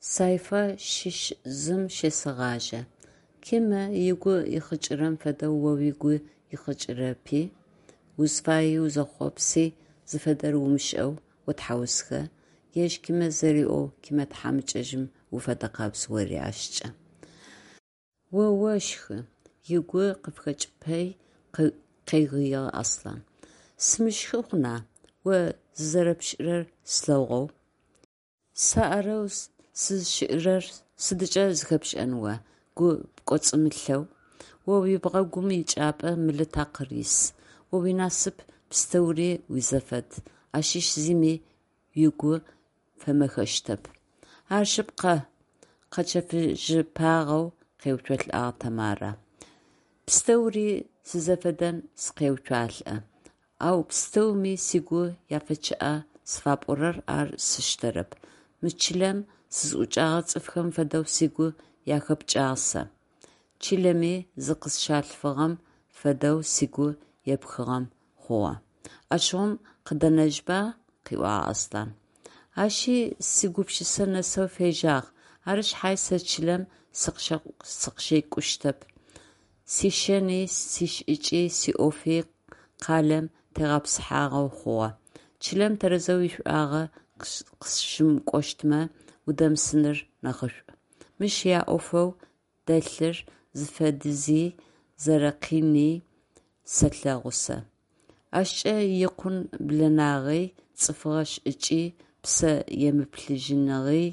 Сайфэ щыщ зым щесэгъажьэ. Кимэ ыгу ихъыкӏырэм фэдэу о угу ихъыкӏырэпи, узфаий узэхъопси зыфэдэр умышӏэу отхьаусхэ, ежь Кимэ зэриӏоу Кимэ тхьамыкӏэжъым уфэдэкъабз ори ащкӏэ. О ощхы, – ыгу къыфыхэкӏыпи къегыигъ Аслъан. Сымыщхы хъуна, о зызэрэпшӏырэр слъэгъоу. Сэ арэу сызщыӏэрэр сыдыкӏэ зэхэпшӏэн о, гу пкӏоцӏымылъэу. О уибгъэгум ичӏыпӏэ мылы такъыр ис. О уинасып пстэури уизэфэд, ащыщ зыми угу фэмэхэщтэп. Ар шъыпкъэ, – къэчэфыжьыпагъэу къеуцолӏагъ Тэмарэ. Пстэури сизэфэдэм сыкъеуцуалӏэ. Ау пстэуми сыгу яфэчъыӏа зыфапӏорэр ар сштэрэп. Мы чылэм сызӏукӏэгъэ цӏыфхэм фэдэу сыгу яхэпкӏагъ сэ. Чылэми зыкъысщалъфыгъэм фэдэу сыгу епхыгъэм хъугъэ. Ащыгъум къыдэнэжьба, – къыӏуагъ Аслъан. Ащи сигупшысэ нэсэу фежьагъ, ары шъхьай сэ чылэм сыкъыщекӏущтэп. Сишэни, сишӏыкӏи, сиӏофи къалэм тегъэпсыхьагъэу хъугъэ. Чылэм тэрэзэу ишӏуагъэ къыщымыкӏощтмэ, удэмысыныр нахьышӏу. Мыщ яӏофэу дэлъыр зыфэдизи, зэрэкъини сэлъэгъу сэ. Ащкӏэ икъун блэнагъи, цӏыфыгъэ шӏыкӏи, псэ емыплъыжьыныгъи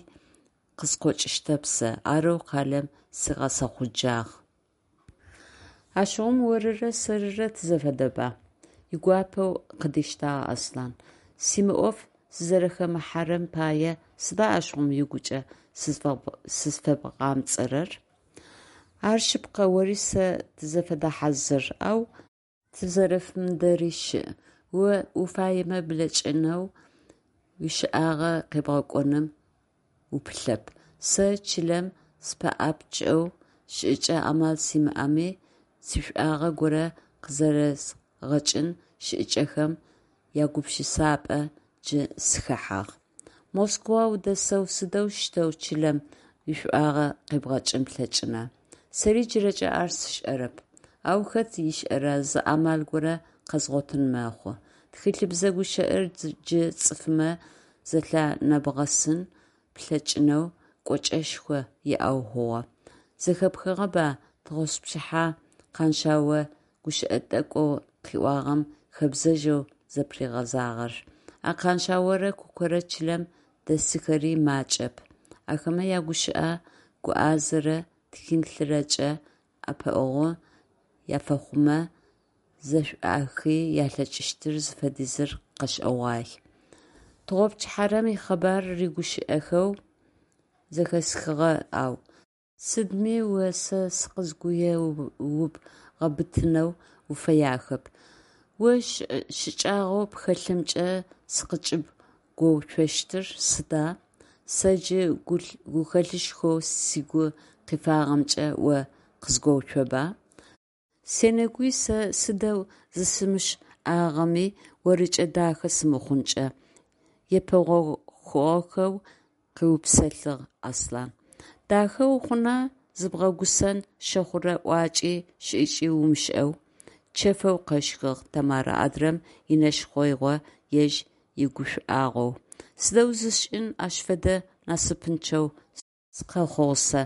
къыскъокӏыщтэп сэ, арэу къалэм сигъэсэхъуджагъ. Ащыгъум орырэ сэрырэ тызэфэдэба? – игуапэу къыдиштагъ Аслъан. Симыӏоф сызэрэхэмыхьэрэм пае сыда ащыгъум угукӏэ сызфэбгъэмыгуӏэрэр? Ар шъыпкъэ, ори сэ тызэфэдэ хьазыр, ау тызэрэзэфэмыдэри щыӏ. О уфаемэ блэкӏынэу, уищыӏагъэ къебгъэкӏоным упылъэп. Сэ чылэм сыпэӏапчъэу шӏыкӏэ амал симыӏэми, сишӏуагъэ горэ къызэрэзгъэкӏын шӏыкӏэхэм ягупшысапӏэ джы сыхэхьагъ. Москва удэсэу сыдэущтэу чылэм уишӏуагъэ къебгъэкӏын плъэкӏына? Сэри джырэкӏэ ар сшӏэрэп. Ау хэт ышӏэра, зы амал горэ къэзгъотын мэхъу. Тхылъыбзэ гущыӏэр джы цӏыфмэ зэлъанэбгъэсын плъэкӏынэу кӏочӏэшхо иӏэу хъугъэ. Зэхэпхыгъэба тыгъоспчыхьэ Къаншъао гущыӏэ тӏэкӏоу къыӏуагъэм хэбзэжъэу зэпыригъэзагъэр. А Къаншъаорэ Кукорэ чылэм дэсыхэри макӏэп, ахэмэ ягущыӏэ гуӏазэрэ тхылъырэкӏэ ӏэпыӏэгъу уафэхъумэ, зэшӏуахын алъэкӏыщтыр зыфэдизыр къэшӏэгъуай. Тыгъопчыхьэрэм икъэбар рыгущыӏэхэу зэхэсхыгъэ, ау. Сыдми о сэ сыкъызгуеубгъэбытынэу уфэяхэп. О щыкӏагъэу пхэлъымкӏэ сыкъызкӏыбгоуцощтыр сыда? Сэ джы гухэлъышхоу сыгу къифагъэмкӏэ о къызгоуцоба. Сенэгуе сэ сыдэу зысымышӏагъэми орыкӏэ дахэ сымыхъункӏэ, епэгъохыгъэу къыупсэлъыгъ Аслъан. Дахэ ухъуна, зыбгъэгусэн щэхъурэ ӏуакӏи шӏыкӏи умышӏэу, – чэфэу къэщхыгъ Тэмарэ адрэм инэшхъэигъо ежь игушӏуагъоу. Сыдэу зысшӏын, ащ фэдэ насыпынчъэу сыкъэхъугъ сэ.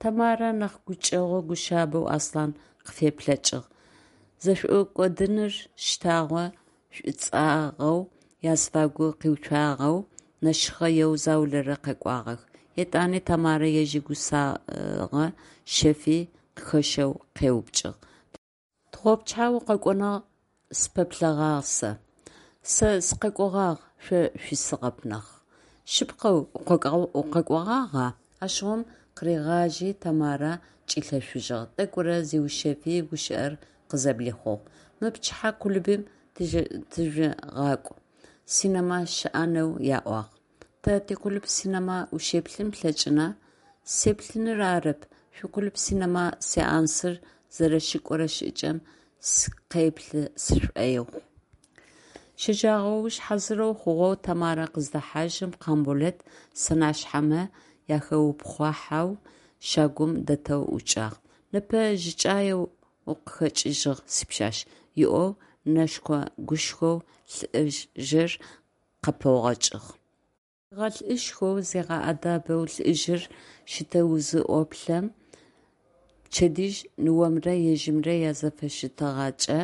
Тэмарэ нахь гукӏэгъу-гушъабэу Аслъан къыфеплъэкӏыгъ. Зэшӏокӏодыныр щтагъо шӏуцӏагъэу азыфагу къиуцуагъэу, нэшхъэеу заулэрэ къэкӏуагъэх. Етӏани Тэмарэ ежь игусагъэ шъэфи къыхэщэу къеупчӏыгъ: Тыгъопчыхьэ укъэкӏонэу сыпэплъэгъагъ сэ. Сэ сыкъэкӏогъагъ, шъо шъуисыгъэп нахь. Шъыпкъэу, укъэкӏогъагъа? Ащыгъум къыригъажьи, Тэмарэ кӏилъэшъужьыгъ, тӏэкӏурэ зиушъэфи, гущыӏэр къызэблихъугъ: Мы пчыхьэ клубым тыжъугъакӏу, синэма щыӏэнэу аӏуагъ. Тэ тиклуб синэма ущеплъын плъэкӏына? Сеплъыныр арэп, шъуиклуб синэма сеансыр зэрэщыкӏорэ шӏыкӏэм сыкъеплъы сшӏоигъу. Щэджэгъоуж хьазырэу хъугъэу Тэмарэ къыздэхьажьым, Къамболэт сэнашъхьэмэ ахэупхъуахьэу щагум дэтэу ӏукӏагъ. Непэ жьыкӏаеу укъыхэкӏыжьыгъ, сипшъашъ, – ыӏоу нэшхо-гушхоу лӏыжъыр къыпэгъокӏыгъ. Зигъэлӏышхоу, зигъэӏэдэбэу лӏыжъыр щытэу зыӏоплъэм, пчэдыжь ныомрэ ежьымрэ язэфыщытыгъэкӏэ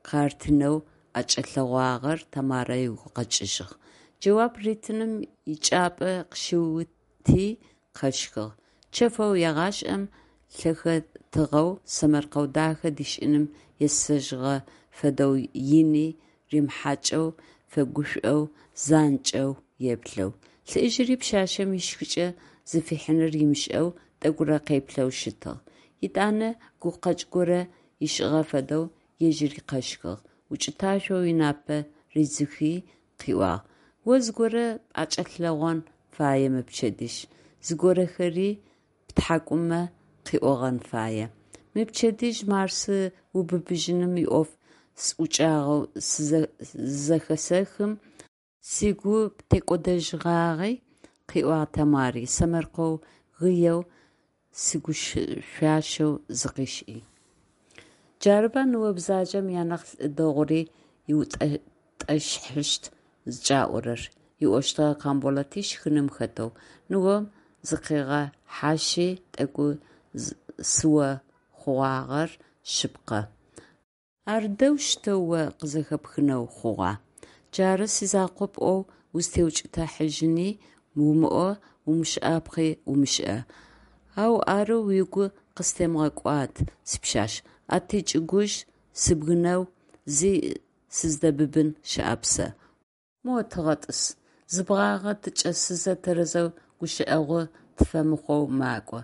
къартынэу ӏэкӏэлъэгъуагъэр Тэмарэ ыгу къэкӏыжьыгъ. Джэуап ритыным ичӏыпӏэ къыщиути, къэщхыгъ. Чэфэу, егъашӏэм лъэхэтыгъэу, сэмэркъэу дахэ дишӏыным есэжьыгъэ фэдэу ини римыхьакӏэу, фэгушӏоу, занкӏэу еплъэу. Лӏыжъыри пшъашъэм ищхыкӏэ зыфихьыныр ымышӏэу тӏэкӏурэ къеплъэу щытыгъ. Етӏанэ гукъэкӏ горэ ышӏыгъэ фэдэу ежьыри къэщхыгъ, укӏыташъоу ынапэ ридзыхи къыӏуагъ: «О зыгорэ пӏэкӏэлъэгъон фае мы пчэдыжь, зыгорэхэри птхьакӏумэ къиӏогъэн фае. Мы пчэдыжь Марсы убыбыжьыным иӏоф сӏукӏагъэу зызэхэсэхым, сыгу птекӏодэжьыгъагъи», – къыӏуагъ Тэмари, сэмэркъэу гыеу сигушӏуащэу зыкъишӏи. Джарыба ныо бзаджэм янахь лӏы дэгъури ыутӏэшхъыщт зыкӏаӏорэр, – ыӏощтыгъэ Къамболэти щхыным хэтэу. Ныом зыкъигъэхьащи, тӏэкӏу сыо хъугъагъэр шъыпкъэ. Ар дэущтэу о къызэхэпхынэу хъугъа? Джары сизакъоп ӏоу узтеукӏытыхьажьыни умыӏо, умышӏапхъи умышӏэ. Ау ары угу къыстемыгъэкӏуад, сипшъашъ, а тичӏыгужъ сыбгынэу зи сыздэбыбын щыӏэп сэ. Мо тыгъэтӏыс, зы бгъагъэ тычӏэсызэ тэрэзэу гущыӏэгъу тыфэмыхъоу макӏо,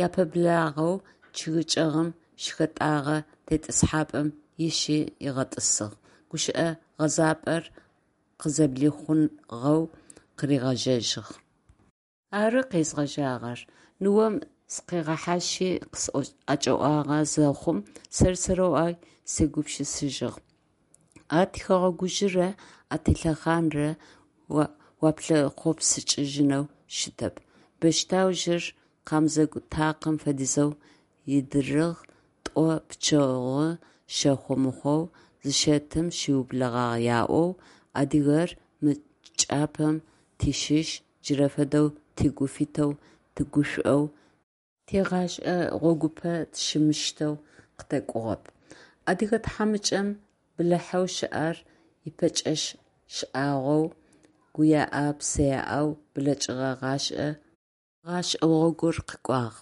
япэблагъэу чъыг чӏэгъым щыхэтӏэгъэ тетӏысхьапӏэм ищи ыгъэтӏысыгъ, гущыӏэ гъэзапӏэр къызэблихъугъэу къыригъэжьэжьыгъ. Ары къезгъэжьагъэр. Ныом сыкъигъэхьащхи къысӏэкӏэӏуагъэ зэхъум, сэр-сэрэу ай сегупшысэжьыгъ: «А тихэгъэгужъырэ а тилъэхъанрэ уаплъэхъопсыкӏыжьынэу щытэп». Бэштаужъыр къамзэгу такъым фэдизэу идырыгъ, тӏо пчэгъу щэхъу мыхъоу зыщэтым щыублагъ яӏоу, адыгэр мы чӏыпӏэм тыщыщ, джырэ фэдэу тыгу фитэу, тыгушӏоу, тигъэшӏэ гъогупэ тыщымыщтэу къытэкӏугъэп. Адыгэ тхьамыкӏэм бэлахьэу щыӏэр ипэкӏэ шӏагъоу, гуеӏэ-псэеӏэу блэкӏыгъэ гъэшӏэ гъогур къыкӏугъ.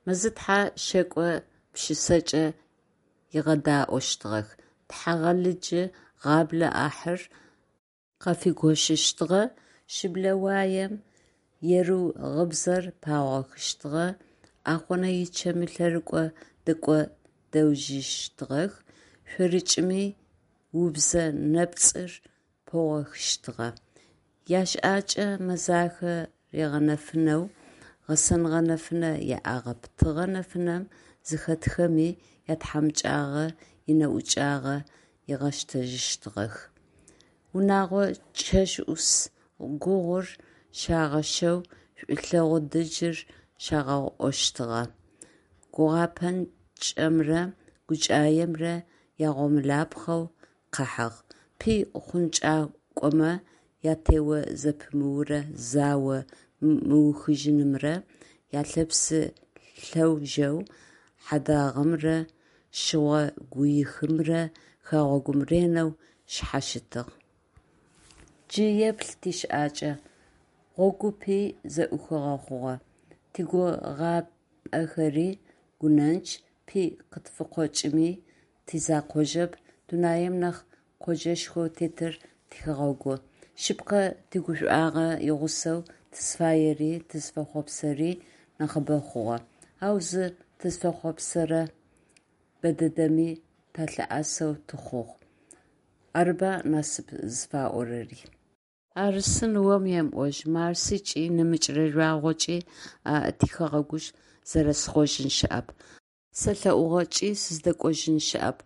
Мэзытхьэ шэкӏо пшысэкӏэ ыгъэдаӏощтыгъэх, Тхьагъэлыджы гъаблэ ӏахьыр къафигощыщтыгъэ, шыблэ уаем ерыу гъыбзэр пагъохыщтыгъэ, Ӏахъонэ ичэмы лъэрыкӏо дэкӏодэжьыщтыгъэх, шъорыкӏми убзэ нэпцӏыр пагъохыщтыгъэ. Ящыӏакӏэ мэзахэ ригъэнэфынэу гъэсэныгъэ нэфынэ яӏагъэп, тыгъэ нэфынэм зыхэтхэми ятхьамыкӏагъо инэӏукӏагъэ ыгъэщтэжьыщтыгъэх. Унэгъо чэщӏус гугъур щагъэщэу, шӏулъэгъу дыджыр щагъаӏощтыгъэ, гугъапӏэнчъэмрэ гукӏаемрэ ягъомылапхъэу къахьыгъ. Пый хъункӏакӏомэ ятео зэпымыурэ зао мыухыжьынымрэ ялъэпсэ лъэужэу хьадагъэмрэ шъыгъо гуихымрэ хэгъэгум ренэу шъхьащытыгъ. Джы еплъ тищыӏакӏэ: гъогупи зэӏухыгъэ хъугъэ, тигугъапӏэхэри гъунэнчъ, пый къытфыкъокӏыми тизэкъожьэп, дунаим нахь къоджэшхоу тетыр тихэгъэгу. Шъыпкъэ, тигушӏуагъо игъусэу тызфаери тызфэхъуапсэрэри нахьыбэ хъугъэ, ау зы тызфэхъуапсэрэ бэдэдэми талъыӏэсэу тыхъугъ. Арыба насып зыфаӏорэри. Арысы ныом емыӏожь, Марсыкӏи, нэмыкӏрэ жъуагъокӏи а тихэгъэгужъ зэрэсхъожьын щыӏэп, сэлъэӏугъэкӏи сыздэкӏожьын щыӏэп.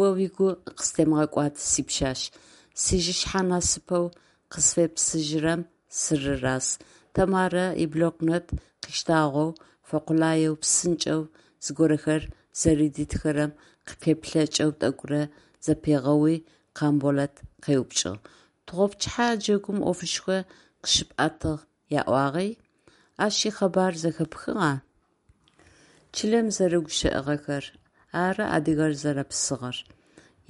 О угу къыстемыгъэкӏуад, сипшъашъ, сижъышъхьэ насыпэу къысфепсыжьырэм сырыраз. Тэмарэ иблокнот къыштагъэу фэкъулаеу псынкӏэу зыгорэхэр зэрэдитхэрэм къыфеплъэкӏэу тӏэкӏурэ зэпигъэуи, Къамболэт къеупчӏыгъ: «Тыгъопчыхьэ джэгум ӏофышхо къыщыпӏэтыгъ аӏуагъи, ащ икъэбар зэхэпхыгъа?» Чылэм зэрэгущыӏагъэхэр ары адыгэр зэрэпсыгъэр: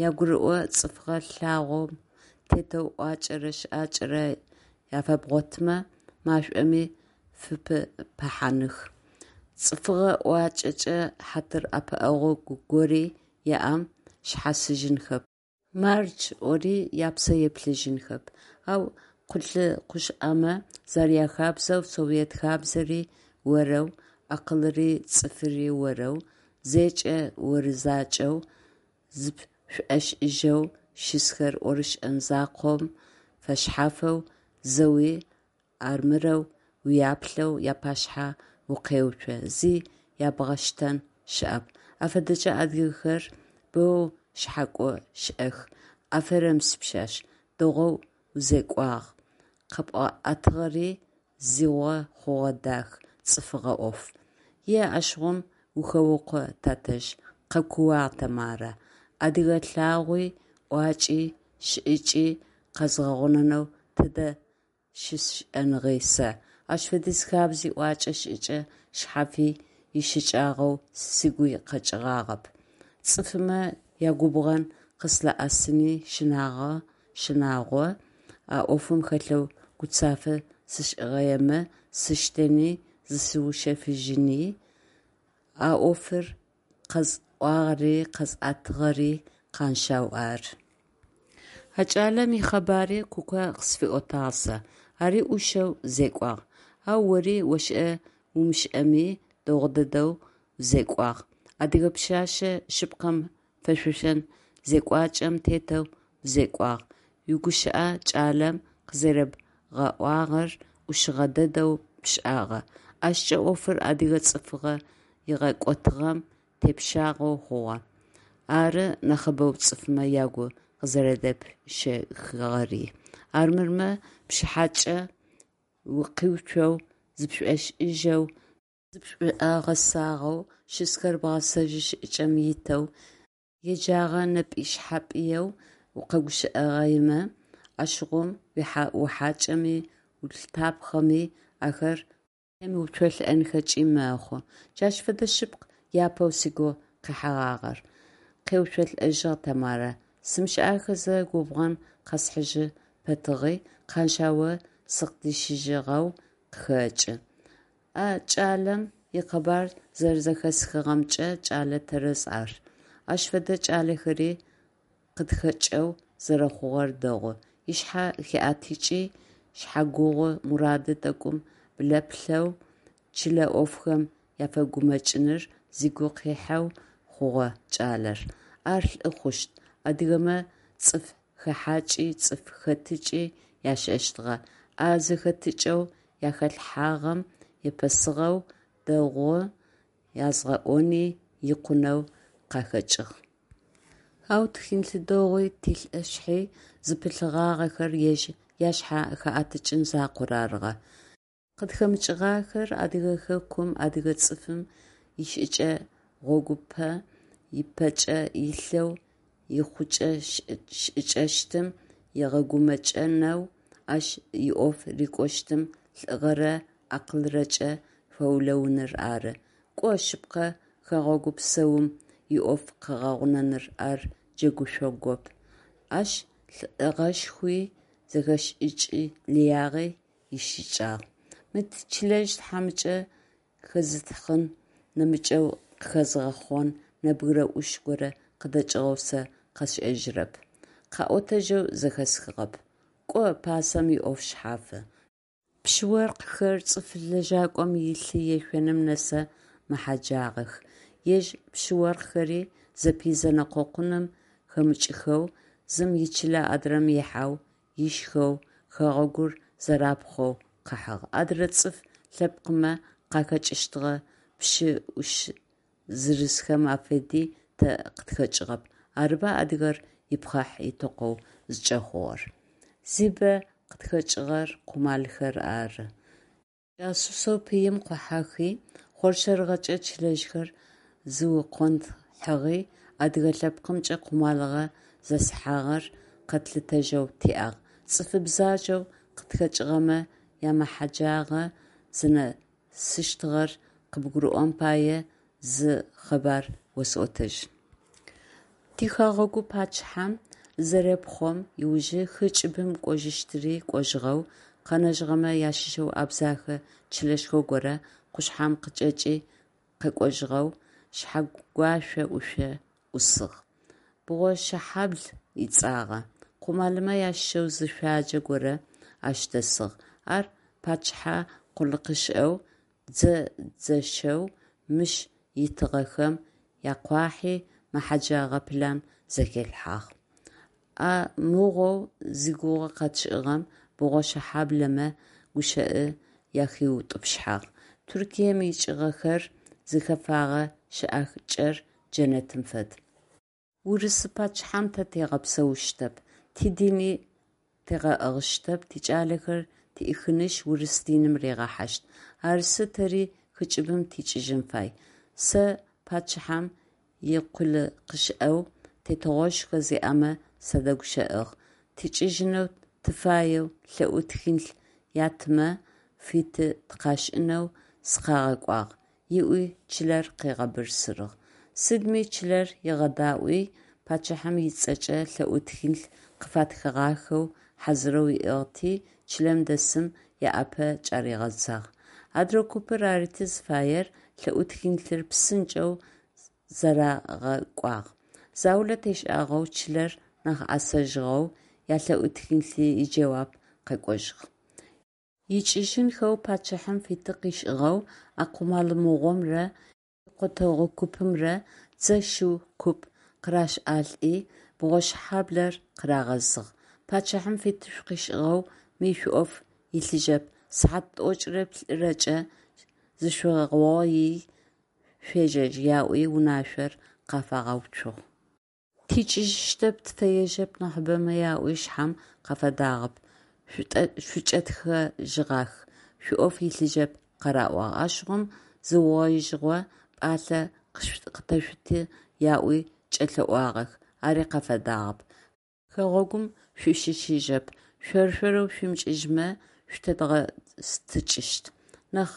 ягурыӏо цӏыфыгъэ лъагъом тетэу ӏуакӏэрэ шӏакӏэрэ афэбгъотымэ, машӏоми фыпыпыхьаных, цӏыфыгъэ ӏуакӏэкӏэ хьатыр-ӏэпыӏэгъу гори яӏэм шъхьасыжьынхэп, мардж ӏори япсэ еблэжьынхэп, ау къулыкъушӏэмэ зэряхабзэу, Совет хабзэри орэу, акъылыри цӏыфыри орэу, зэкӏэ оры закӏэу зыпшӏошӏыжьэу щысхэр ӏорышӏэн закъом фэшъхьафэу зэуи армырэу уяплъэу япашъхьэ укъеуцо, зи ябгъэштэн щыӏэп. Афэдэкӏэ адыгэхэр боу шъхьакӏо щыӏэх. Аферым, сипшъашъ, дэгъоу узекӏуагъ, къэпӏэтыгъэри зигъо хъугъэ дах, цӏыфыгъэ ӏоф. Е, ащыгъум ухэукъо, тэтэжъ, къэкууагъ Тэмарэ, адыгэ лъагъуи, ӏуакӏи, шӏыкӏи къэзгъэгъунэнэу тэдэ щысшӏэныгъи сэ, ащ фэдиз хабзи ӏуакӏэ шӏыкӏэ шъхьафи ищыкӏагъэу сыгуи къэкӏыгъагъэп, цӏыфмэ ягубгъэн къыслъыӏэсыни щынагъо, а ӏофым хэлъэу гуцафэ сышӏыгъэемэ, сштэни зысыушъэфыжьыни, а ӏофыр къэзыӏуагъэри къэзыӏэтыгъэри Къаншъау ары. А кӏалэм ихъэбари Куко къысфиӏотагъ сэ, ари ӏушэу зекӏуагъ. Ау ори ошӏэ-умышӏэми дэгъу дэдэу узекӏуагъ, адыгэ пшъэшъэ шъыпкъэм фэшъошэн зекӏуакӏэм тетэу узекӏуагъ, уигущыӏэ кӏалэм къызэребгъэӏуагъэр ӏушыгъэ дэдэу пшӏагъэ, ащкӏэ ӏофыр адыгэ цӏыфыгъэ игъэкӏотыгъэм тепщагъэу хъугъэ, ары нахьыбэу цӏыфмэ ягу къызэрэдэпщэхыгъэри, армырмэ пшъхьэкӏэ укъиуцоу, зыпшӏошӏыжьэу, зыпшӏогъэсагъэу, щысхэр бгъэсэжьы шӏыкӏэм итэу, еджагъэ нэпӏэйшъхьапӏыеу укъэгущыӏэгъаемэ, ащыгъум ухьакӏэми, улъытапхъэми ахэр къемыуцолӏэнхэкӏи мэхъу. Джащ фэдэ шъыпкъ япэу сыгу къихьэгъагъэр, къеуцолӏэжьыгъ Тэмарэ, сымышӏахэзэ губгъэн къэсхьыжьы пэтыгъи, Къаншъао сыкъыдищыжьыгъэу къыхэкӏы. А кӏалэм икъэбар зэрэзэхэсхыгъэмкӏэ, кӏэлэ тэрэз ар. Ащ фэдэ кӏалэхэри къытхэкӏэу зэрэхъугъэр дэгъу, ышъхьэ хиӏэтыкӏи, шъхьэгугъу мурады тӏэкӏум блэплъэу, чылэ ӏофхэм афэгумэкӏыныр зыгу къихьэу хъугъэ кӏалэр. Ар лӏы хъущт, адыгэмэ цӏыф хэхьакӏи цӏыф хэтыкӏи ашӏэщтыгъэ, а зэхэтыкӏэу ахалъхьагъэм епэсыгъэу дэгъу язгъэӏони икъунэу къахэкӏыгъ. Ау тхыни-лъыдыгъуи тилӏышъхьи зыпылъыгъагъэхэр ежь яшъхьэ хэӏэтыкӏын закъор арыгъэ. Къытхэмыкӏыгъахэр Адыгэ хэкум, адыгэ цӏыфым ищыӏэкӏэ гъогупэ ыпэкӏэ илъэу, ихъукӏэ-шӏыкӏэщтым ыгъэгумэкӏынэу, ащ иӏоф рыкӏощтым лӏыгъэрэ акъылрэкӏэ фэулэуныр ары. Кӏо шъыпкъэ, хэгъэгу псэум иӏоф къэгъэгъунэныр ар джэгушъогоп, ащ лӏыгъэшхуи, зэхэшӏыкӏ лыягъи ищыкӏагъ. Мы тичылэжъ тхьамыкӏэ хэзытхъын, нэмыкӏэу къыхэзгъэхъон нэбгырэ ӏуш горэ къыдэкӏыгъэу сэ къэсшӏэжьырэп, къаӏотэжьэу зэхэсхыгъэп. Кӏо, пасэм иӏоф шъхьафы. Пщы-оркъхэр цӏыф лэжьакӏом илъы ешъоным нэсэ мэхьэджагъэх. Ежь пщы-оркъхэри зэпый зэнэкъокъуным хэмыкӏхэу, зым ичылэ адрэм ихьэу, ишхэу, хэгъэгур зэрапхъоу къахьыгъ. Адрэ цӏыф лъэпкъмэ къахэкӏыщтыгъэ пщы ӏуш зырызхэм афэди тэ къытхэкӏыгъэп, арыба адыгэр ипхъахь-итэкъоу зыкӏэхъугъэр. Зибэ къытхэкӏыгъэр къумалхэр ары. Джасусэу пыим къохьэхи, хъоршэрыгъэкӏэ чылэжъхэр зыукъонтхъыгъи, адыгэ лъэпкъымкӏэ къумалыгъэ зезыхьагъэр къэтлъытэжьэу тиӏагъ. Цӏыфы бзаджэу къытхэкӏыгъэмэ ямэхъэджагъэ зынэсыщтыгъэр къыбгурыӏон пае зы къэбар осӏотэжьын. Тихэгъэгу пачъыхьэм зызэрепхъом ыужы хы кӏыбым кӏожьыщтыри кӏожьыгъэу, къэнэжьыгъэмэ ащыщэу абдзэхэ чылэшхо горэ къушъхьэм къычӏэкӏи къэкӏожьыгъэу Шъхьэгуащэ ӏушъо ӏусыгъ. Бгъошэхьабл ыцӏагъэ. Къумалымэ ащыщэу зы шъуаджэ горэ ащ дэсыгъ. Ар пачъыхьэ къулыкъушӏэу, дзэ дзэщэу мыщ итыгъэхэм якъуахьи, мэхъэджэгъэ план зэхилъхьагъ. А мыгъоу зигугъу къэтшӏыгъэм бгъошэхьаблэмэ гущыӏэ ахиутӏупщхьагъ: «Туркием икӏыгъэхэр зыхэфагъэ щыӏакӏэр джэнэтым фэд. Урысы пачъыхьэм тэ тигъэпсэущтэп, тидини тигъэӏыгъыщтэп, тикӏалэхэр тӏихынышъ, урыс диным ригъэхьащт. Арысы тэри хыкӏыбым тикӏыжьын фай. Сэ пачъыхьэм икъулыкъушӏэу тетыгъошхо зиӏэмэ садэгущыӏыгъ, тикӏыжьынэу тыфаеу лъэӏу тхылъ яттымэ, фиты тыкъашӏынэу сыкъагъэкӏуагъ», – ыӏуи чылэр къыгъэбырсырыгъ. Сыдми чылэр ыгъэдаӏуи, пачъыхьэм ыцӏэкӏэ лъэӏу тхылъ къыфатхыгъахэу хьазырэу ыӏыгъти, чылэм дэсым ыӏапэ кӏаригъэдзагъ. Адрэ купыр арыти зыфаер, лъэӏу тхылъыр псынкӏэу зэрагъэкӏуагъ. Заулэ тешӏагъэу, чылэр нахь ӏэсэжьыгъэу, ялъэӏу тхылъи иджэуап къэкӏожьыгъ. Икӏыжьынхэу пачъыхьэм фиты къышӏыгъэу, а къумал мыгъомрэ икъотэгъу купымрэ дзэ шыу куп къыращалӏи, Бгъошэхьаблэр къырагъэзыгъ. Пачъыхьэм фиты шъукъышӏыгъэу ми шъуиӏоф илъыжьэп, сыхьат тӏокӏырэ плӏырэкӏэ зышъугъоий шъуежьэжь, яӏуи унашъор къафагъэуцугъ. Тикӏыжьыщтэп, тыфэежьэп нахьыбэмэ яӏуи шъхьэм къафадагъэп, шъукӏэтхэжьыгъах, шъуиӏоф илъыжьэп къараӏуагъ. Ащыгъум зыугъоижьыгъо пӏалъэ къытэшъут яӏуи кӏэлъэӏугъэх, ари къафадагъэп. Хэгъэгум шъущыщыжьэп, шъор-шъорэу шъуимыкӏыжьмэ, шъутэдгъэстыкӏыщт, нахь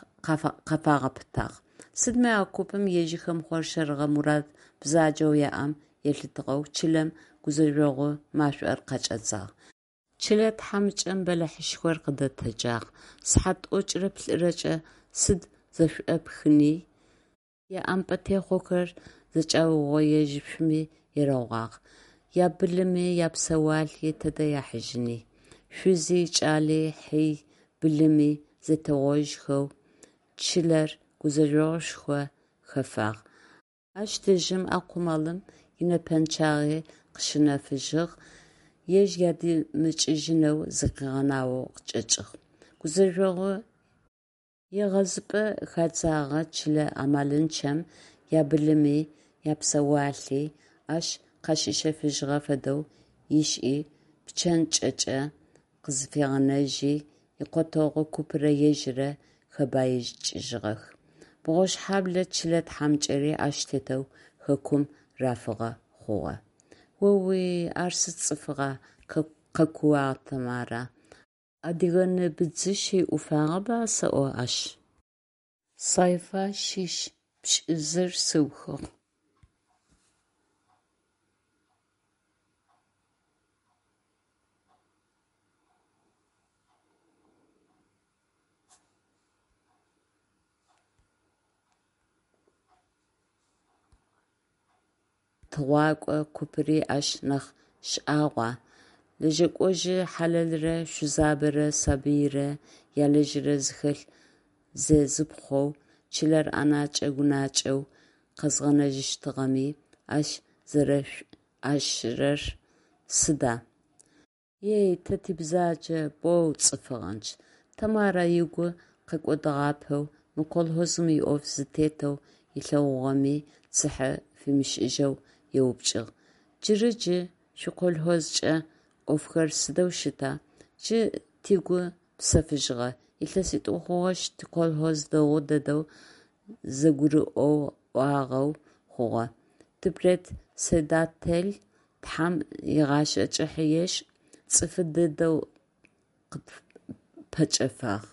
къафагъэпытагъ. Сыдми а купым ежьхэм хъоршэрыгъэ мурад бзаджэу яӏэм елъытыгъэу чылэм гузэжъогъу машӏор къакӏэдзагъ. Чылэ тхьамыкӏэм бэлахьышхор къыдэтэджагъ. Сыхьат тӏокӏырэ плӏырэкӏэ сыд зэшӏопхыни, яӏэмпӏэтехъохэр зэкӏаугъоежьышъуми ерэгъуагъ, ябылыми, япсэуалъи тэдэ яхьыжьыни. Шъузи, кӏали, хьи, былыми зэтегъожьхэу чылэр гузэжъогъушхо хэфагъ. Ащ дэжьым а къумалым инэпэнчъагъи къыщынэфыжьыгъ, ежь ядэмыкӏыжьынэу зыкъигъэнаоу къычӏэкӏыгъ. Гузэжъогъу егъэзыпӏэ хадзэгъэ чылэ амалынчъэм ябылыми, япсэуалъи ащ къащищэфыжьыгъэ фэдэу ышӏи, пчэн кӏэкӏэ къызфигъэнэжьи, икъотэгъу купырэ ежьырэ хэбаикӏыжьыгъэх. Бгъошхьэблэ чылэ тхьамыкӏэри ащ тетэу хэкум рафыгъэ хъугъэ. О-уи, ар сыд цӏыфыгъа! – къэкууагъ Тэмарэ. Адыгэ ны быдзыщи ӏуфагъэба сэӏо ащ! Сайфа шъищ пшӏызыр сыухыгъ. Тыгъуакӏо купыри ащ нахь шӏагъуа, лэжьэкӏожъы хьалэлрэ шъузабэрэ сабыйрэ ялэжьырэ зыхэлъ зезыпхъоу, чылэр ӏэнэкӏэ-гунэкӏэу къэзгъэнэжьыщтыгъэми ащ зэрэшӏуашӏырэр сыда? Ей, тэ тибзаджэ боу цӏыфыгъэнчъ, – Тэмарэ ыгу къэкӏодыгъапэу, мы колхозым иӏоф зытетэу ылъэгъугъэми цыхьэ фимышӏыжьэу еупчӏыгъ: – Джыры джы шъуиколхозкӏэ ӏофхэр сыдэу щыта? – Джы тыгу псэфыжьыгъэ. Илъэситӏу хъугъэшъ тиколхоз дэгъу дэдэу зэгурыӏуагъэу хъугъэ. Типредседатель, тхьам игъашӏэ кӏыхьэ ешӏ, цӏыфы дэдэу къытпэкӏэфагъ.